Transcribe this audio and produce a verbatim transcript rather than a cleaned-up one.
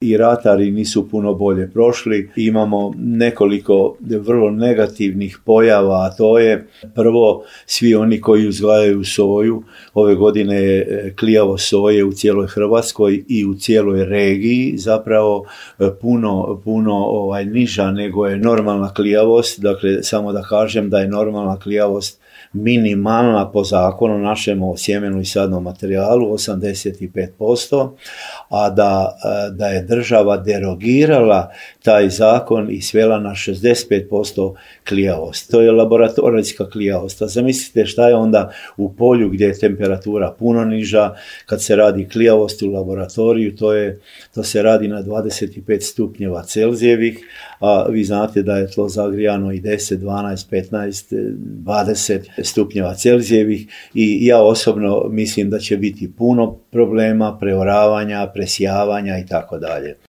i ratari nisu puno bolje prošli. Imamo nekoliko vrlo negativnih pojava, a to je prvo, svi oni koji uzgajaju soju. Ove godine je klijavost soje u cijeloj Hrvatskoj i u cijeloj regiji zapravo puno, puno ovaj, niža nego je normalna klijavost. Dakle, samo da kažem da je normalna klijavost minimalna po zakonu našem o sjemenu i sadnom materijalu osamdeset pet posto, a da, da je država derogirala taj zakon i svela na šezdeset pet posto klijavost. To je laboratorijska klijavost. A zamislite šta je onda u polju gdje je temperatura puno niža. Kad se radi klijavost u laboratoriju, to, je, to se radi na dvadeset pet stupnjeva Celzijevih, a vi znate da je tlo zagrijano i deset, dvanaest, petnaest, dvadeset stupnjeva Celzijevih i ja osobno mislim da će biti puno problema, preoravanja, presijavanja i tako dalje.